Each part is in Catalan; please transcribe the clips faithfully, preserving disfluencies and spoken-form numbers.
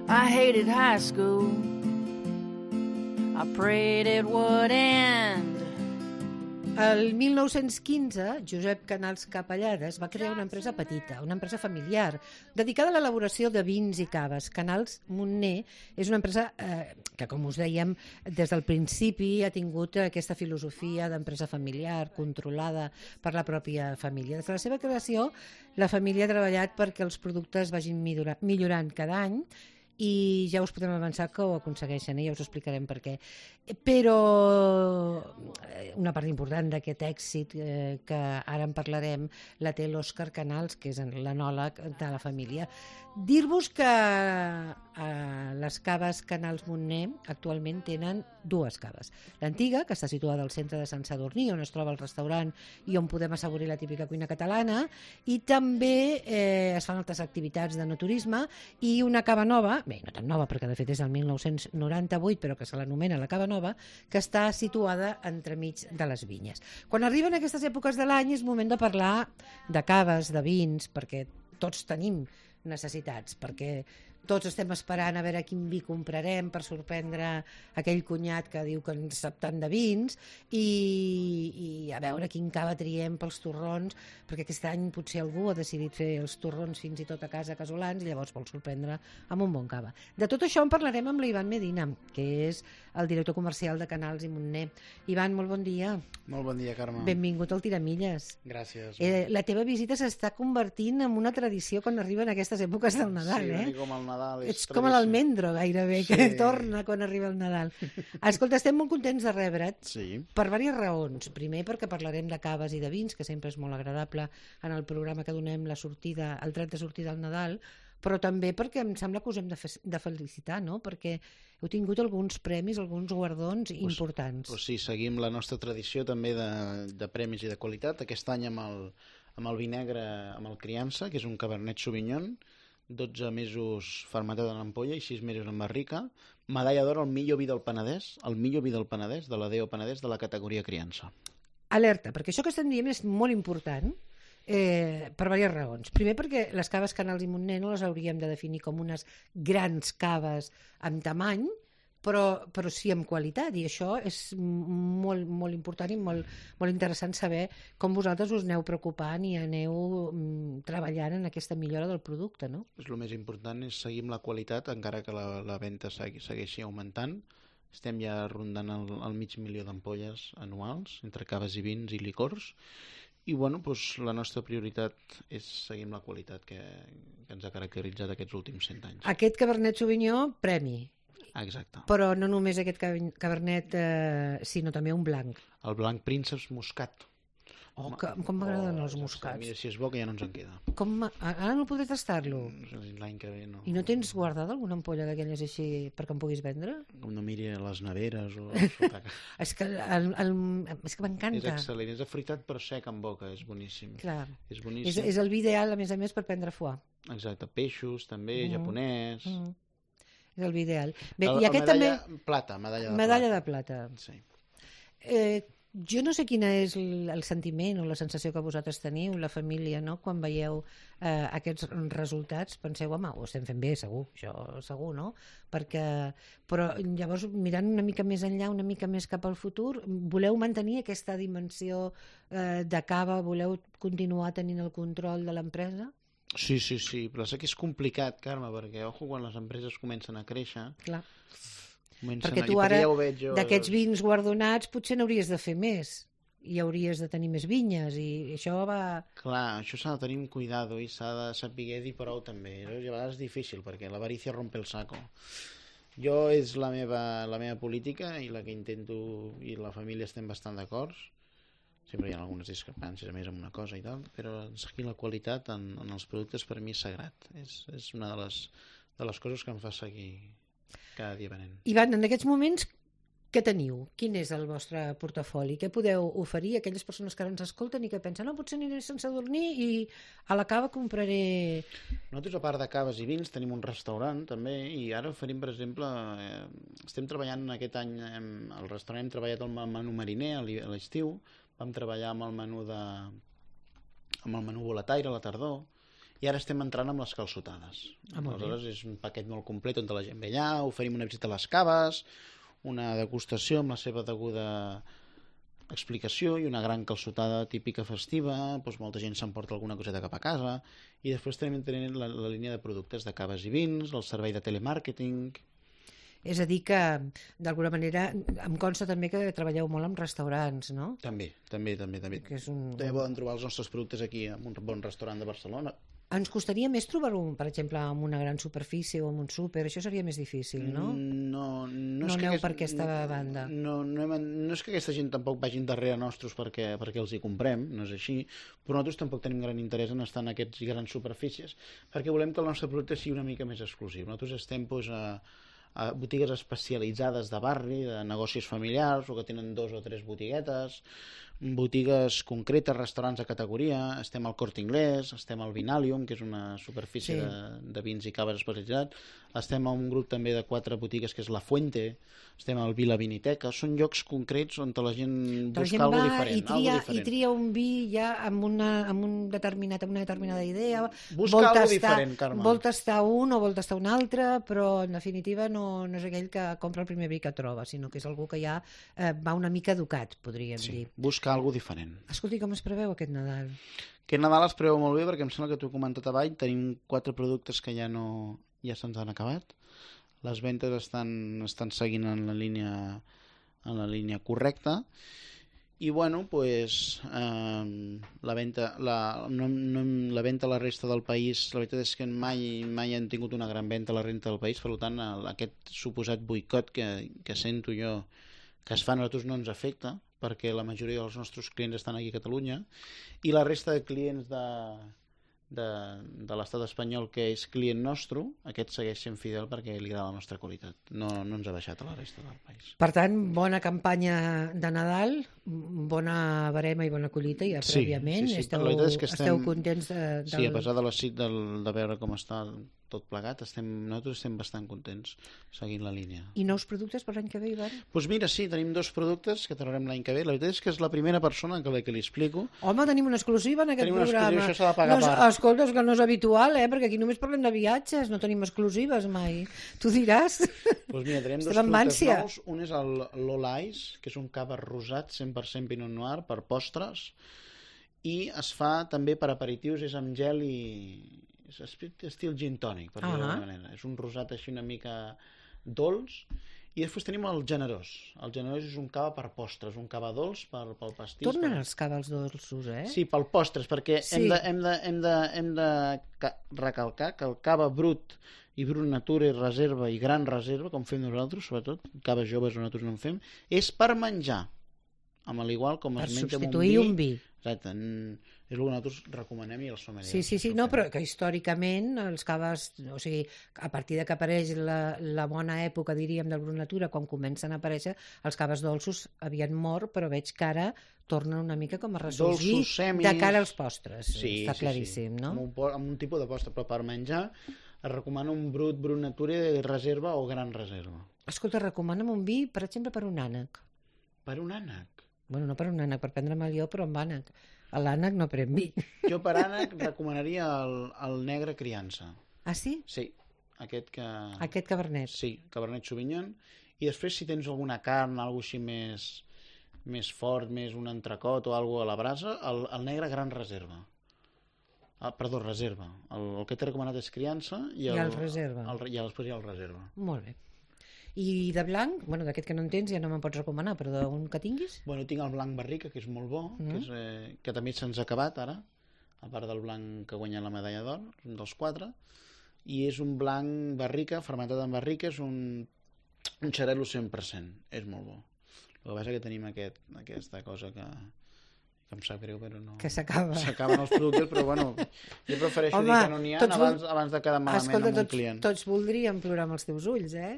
I hated high school. I prayed it would end. El mil nou-cents quinze, Josep Canals Capellades va crear una empresa petita, una empresa familiar, dedicada a l'elaboració de vins i caves. Canals Montner és una empresa eh, que, com us dèiem, des del principi ha tingut aquesta filosofia d'empresa familiar, controlada per la pròpia família. Des de la seva creació, la família ha treballat perquè els productes vagin millorant cada any, i ja us podem avançar que ho aconsegueixen, eh? Ja us explicarem per què. Però una part important d'aquest èxit, eh, que ara en parlarem, la té l'Òscar Canals, que és l'enòleg de la família. Dir-vos que eh, les caves Canals Montner actualment tenen dues caves. L'antiga, que està situada al centre de Sant Sadurní, on es troba el restaurant i on podem assaborir la típica cuina catalana, i també eh, es fan altres activitats de no turisme, i una cava nova, bé, no tan nova perquè de fet és del mil nou-cents noranta-vuit, però que se l'anomena la Cava Nova, que està situada entremig de les vinyes. Quan arriben aquestes èpoques de l'any és moment de parlar de caves, de vins, perquè tots tenim necessitats, perquè tots estem esperant a veure quin vi comprarem per sorprendre aquell cunyat que diu que en sap tant de vins, i, i a veure quin cava triem pels torrons, perquè aquest any potser algú ha decidit fer els torrons fins i tot a casa casolans i llavors vol sorprendre amb un bon cava. De tot això en parlarem amb l'Ivan Medina, que és el director comercial de Canals i Montner. Ivan, molt bon dia. Molt bon dia, Carme. Benvingut al Tiramilles. Gràcies. Eh, la teva visita s'està convertint en una tradició quan arriben aquestes èpoques del Nadal, sí, eh? Sí, com el Nadal. Ets com l'almendro, gairebé, sí, que torna quan arriba el Nadal. Escolta, estem molt contents de rebre't, sí, per diverses raons. Primer, perquè parlarem de caves i de vins, que sempre és molt agradable en el programa que donem la sortida, el tret de sortida al Nadal, però també perquè em sembla que us hem de, fe de felicitar, no? Perquè heu tingut alguns premis, alguns guardons pues, importants. Pues sí, seguim la nostra tradició també de, de premis i de qualitat. Aquest any amb el, amb el vi negre, amb el Criança, que és un Cabernet Sauvignon, dotze mesos fermentat en ampolla i sis mesos en barrica. Medalla d'or al millor vi del Penedès, el millor vi del Penedès, de la D O Penedès, de la categoria Criança. Alerta, perquè això que estem dient és molt important, eh, per diverses raons. Primer, perquè les caves Canals i Montner no les hauríem de definir com unes grans caves amb tamany, però, però sí amb qualitat, i això és molt, molt important i molt, molt interessant saber com vosaltres us aneu preocupant i aneu mm, treballant en aquesta millora del producte, no? El més important és seguir amb la qualitat, encara que la, la venda segui, segueixi augmentant. Estem ja rondant el, el mig milió d'ampolles anuals, entre caves i vins i licors, i bueno, doncs, la nostra prioritat és seguir amb la qualitat que, que ens ha caracteritzat aquests últims cent anys. Aquest Cabernet Sauvignon, premi. Exacte. Però no només aquest Cabernet, eh, sinó també un blanc. El blanc Prínceps Moscat. Oh, que, com m'agraden oh, els moscats. Mira, si és bo que ja no ens en queda. Com, ara no podré tastar-lo? L'any que ve no. I no tens guardada alguna ampolla d'aquelles així perquè em puguis vendre? Com no miri a les neveres o... és que, el, el, és que m'encanta. És excel·lent, és afruitat però sec en boca, és boníssim. Clar. És boníssim. És, és el vi ideal, a més a més, per prendre foie. Exacte, peixos també, mm. japonès... Mm. És el vi ideal. Bé, el, i aquest medalla també... plata, medalla de medalla plata. de plata. Sí. Eh, jo no sé quina és el, el sentiment o la sensació que vosaltres teniu, la família, no? Quan veieu eh, aquests resultats, penseu, home, ho estem fent bé, segur, això segur, no? Perquè, però llavors, mirant una mica més enllà, una mica més cap al futur, voleu mantenir aquesta dimensió eh, de cava, voleu continuar tenint el control de l'empresa? Sí, sí, sí, però sé que és complicat, Carme, perquè, ojo, quan les empreses comencen a créixer... Clar. Perquè tu ara, ja jo... d'aquests vins guardonats, potser n'hauries de fer més, i hauries de tenir més vinyes, i això va... Clar, això s'ha de tenir un cuidado, i s'ha de saber dir prou també. I a vegades és difícil, perquè l'avarícia rompe el saco. Jo és la meva, la meva política, i la que intento, i la família estem bastant d'acord. Sempre hi ha algunes discrepàncies, a més, amb una cosa i tal, però seguir la qualitat en, en els productes per mi és sagrat. És, és una de les, de les coses que em fa seguir cada dia venent. Ivan, en aquests moments, què teniu? Quin és el vostre portafoli? Què podeu oferir a aquelles persones que ara ens escolten i que pensen, no, potser aniré sense dormir i a la cava compraré... Nosaltres, a part de caves i vins, tenim un restaurant també, i ara oferim, per exemple, eh, estem treballant aquest any, hem, al restaurant hem treballat el menú mariner a l'estiu, vam treballar amb el menú de amb el menú volataire a la tardor, i ara estem entrant amb les calçotades. Ah, Aleshores és un paquet molt complet on la gent ve allà, oferim una visita a les caves, una degustació amb la seva deguda explicació i una gran calçotada típica festiva, doncs molta gent s'emporta alguna coseta cap a casa, i després també tenim la, la línia de productes de caves i vins, el servei de telemàrqueting. És a dir que, d'alguna manera, em consta també que treballeu molt amb restaurants, no? També, també, també. també. Que és un... També poden trobar els nostres productes aquí en un bon restaurant de Barcelona. Ens costaria més trobar-ho, per exemple, en una gran superfície o en un súper, això seria més difícil, no? No, no, no és que aneu aquest, per aquesta banda. No, no, hem, no és que aquesta gent tampoc vagin darrere nostres perquè, perquè els hi comprem, no és així, però nosaltres tampoc tenim gran interès en estar en aquestes grans superfícies, perquè volem que el nostre producte sigui una mica més exclusiu. Nosaltres estem doncs, a, a botigues especialitzades de barri, de negocis familiars, o que tenen dos o tres botiguetes, botigues concretes, restaurants de categoria, estem al Corte Inglés, estem al Vinalium, que és una superfície sí. de, de vins i caves especialitzat, estem a un grup també de quatre botigues que és La Fuente, estem al Vila Viniteca, són llocs concrets on la gent busca la gent alguna va diferent. I tria, diferent. I tria un vi ja amb una, amb un determinat, amb una determinada idea, busca vol alguna tastar, diferent, Carme. Vol tastar un o vol tastar un altre, però en definitiva no, no és aquell que compra el primer vi que troba, sinó que és algú que ja eh, va una mica educat, podríem sí, dir. Busca alguna diferent. Escolti, com es preveu aquest Nadal? Aquest Nadal es preveu molt bé perquè em sembla que t'ho he comentat avall, tenim quatre productes que ja no ja se'ns han acabat. Les ventes estan, estan seguint en la línia en la línia correcta i bueno, pues, eh, la venta la, no, no, la venta a la resta del país, la veritat és que mai, mai han tingut una gran venta a la resta del país, per tant el, aquest suposat boicot que, que sento jo que es fa a nosaltres no ens afecta perquè la majoria dels nostres clients estan aquí a Catalunya i la resta de clients de, de, de l'estat espanyol que és client nostre, aquest segueix sent fidel perquè li agrada la nostra qualitat. No, no ens ha baixat a la resta del país. Per tant, bona campanya de Nadal, bona barema i bona collita ja sí, prèviament. Sí, sí. Esteu, és que estem... esteu contents de, del... Sí, a pesar de la cit del, de veure com està tot plegat, estem, nosaltres estem bastant contents seguint la línia. I nous productes per l'any que ve, Ivan? Doncs pues mira, sí, tenim dos productes que traurem l'any que ve. La veritat és que és la primera persona que, que li explico. Home, tenim una exclusiva en aquest tenim programa. Tenim una exclusiva, això s'ha de pagar no, part. Escolta, és que no és habitual, eh? Perquè aquí només parlem de viatges, no tenim exclusives mai. Tu diràs. Doncs pues mira, tenim dos Estem productes nous. Un és el Lola Ice, que és un cava rosat cent per cent Pinot Noir per postres, i es fa també per aperitius, és amb gel i... és estil gin tònic, per dir-ho d'alguna manera. És un rosat així una mica dolç. I després tenim el generós. El generós és un cava per postres, un cava dolç per, pel pastís. Tornen per... els cavals dolços, eh? Sí, pel postres, perquè sí. hem, de, hem, de, hem, de, hem de recalcar que el cava brut i brut natura i reserva i gran reserva, com fem nosaltres, sobretot, caves joves o nosaltres no en fem, és per menjar. Amb l'igual com es menja amb un vi. Per substituir un vi. Exacte, és el que nosaltres recomanem i els sommeliers. Sí, sí, sí, no, però que històricament els caves, o sigui, a partir de que apareix la, la bona època, diríem, del brut natura, quan comencen a aparèixer, els caves dolços havien mort, però veig que ara tornen una mica com a ressorgir dolços, semis... de cara als postres. Sí, està sí, claríssim, sí. no? Amb un, amb un tipus de postre, però per menjar es recomana un brut, brut natura, reserva o gran reserva. Escolta, recomana'm un vi, per exemple, per un ànec. Per un ànec? Bueno, no per un ànec, per prendre'm el jo, però amb ànec. A l'ànec no pren vi. Jo per ànec recomanaria el, el negre criança. Ah, sí? Sí, aquest que... Aquest cabernet. Sí, cabernet sauvignon. I després si tens alguna carn, alguna així més, més fort, més un entrecot o alguna a la brasa, el, el negre gran reserva. Ah, perdó, reserva. El, el que t'he recomanat és criança i el, I el reserva. El, I després hi ha el reserva. Molt bé. I de blanc, bueno, d'aquest que no en tens ja no me'n pots recomanar, però d'un que tinguis? Bueno, tinc el blanc barrica, que és molt bo, mm. que, és, eh, que també se'ns ha acabat ara, a part del blanc que guanya la medalla d'or, un dels quatre, i és un blanc barrica, fermentat en barrica, és un, un xarel·lo cent per cent, és molt bo. El que passa és que tenim aquest, aquesta cosa que... que em sap greu, però no... Que s'acaba. S'acaben els productes, però bueno, jo prefereixo Home, dir que no n'hi ha abans, abans de quedar malament escolta, amb un tots, client. Tots voldríem plorar amb els teus ulls, eh?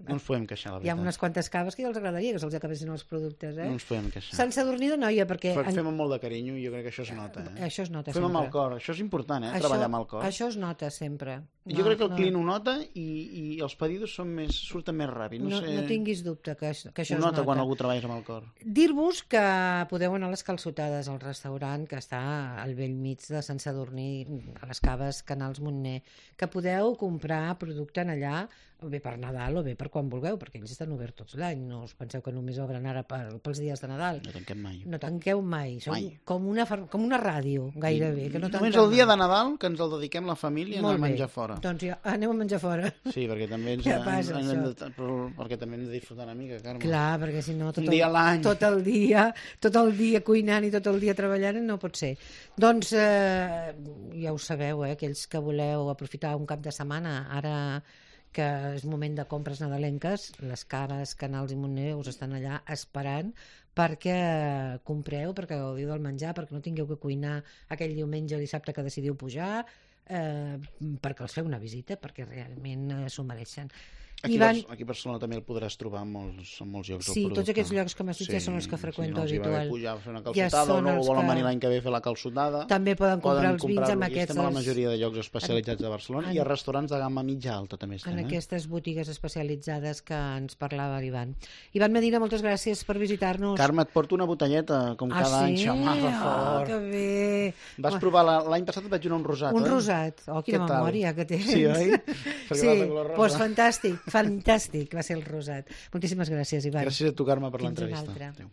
No ens podem queixar, la Hi ha veritat. unes quantes caves que ja els agradaria que se'ls acabessin els productes, eh? No ens podem queixar. Sant Sadurní d'Anoia, perquè... Fa- Fem amb molt de carinyo i jo crec que això es nota. Eh? Això es nota Fem amb sempre. el cor, això és important, eh? Això- Treballar amb el cor. Això es nota sempre. Jo crec que el client ho nota i, i els pedidos són més, surten més ràpid. No, No, sé... no tinguis dubte que, això- que això Ho es nota nota. quan algú treballa amb el cor. Dir-vos que podeu anar a les Calçotades, al restaurant que està al vell mig de Sant Sadurní, a les caves Canals Montner, que podeu comprar producte en allà, o bé per Nadal o bé per quan vulgueu, perquè ells estan oberts tots l'any. No us penseu que només obren ara per, pels dies de Nadal. No tanquem mai. No tanqueu mai. Som Mai. com una, far- com una ràdio, gairebé. Que no Només tanquem el dia mai. de Nadal que ens el dediquem la família a anar Molt a bé. menjar fora. Doncs ja, aneu a menjar fora. Sí, perquè també ens, Ja passa, ens, això. hem de, però, perquè també hem de disfrutar una mica, Carme. Clar, perquè si no tot Un dia a l'any. el, tot el dia tot el dia cuinant i tot el dia treballant no pot ser. Doncs eh, ja ho sabeu, eh, aquells que voleu aprofitar un cap de setmana, ara que és moment de compres nadalenques, les caves, Canals i Montner us estan allà esperant perquè compreu, perquè gaudiu del menjar, perquè no tingueu que cuinar aquell diumenge o dissabte que decidiu pujar, eh, perquè els feu una visita, perquè realment eh, s'ho mereixen. Aquí, Ivan, Bar- aquí a Barcelona també el podràs trobar en molts, en molts llocs. Sí, el tots producte. aquests llocs que m'has dit ja són els que freqüento sí, no els hi va bé habitual. pujar a fer una Ja calçotada són o no els volen que- venir l'any que ve a fer la calçotada. també poden comprar els vins comprar-lo amb aquí. aquests... Estem a la majoria de llocs especialitzats de Barcelona en- i a restaurants de gamma mitja alta també estem. en Eh? aquestes botigues especialitzades que ens parlava l'Ivan. Ivan Medina, moltes gràcies per visitar-nos. Carme, et porto una botelleta, com ah, cada sí? any. Xamar, per Oh, favor. que bé! Vas Oh, provar, la- l'any passat et vaig donar un rosat, un oi? rosat. Oh, quina Què tal? memòria que tens. Sí, oi? Perquè Sí, va de color rosa. doncs fantàstic, fantàstic va ser el rosat. Moltíssimes gràcies, Ivan. Gràcies a tu, Carme, per Fins una l'entrevista. altra. Adéu.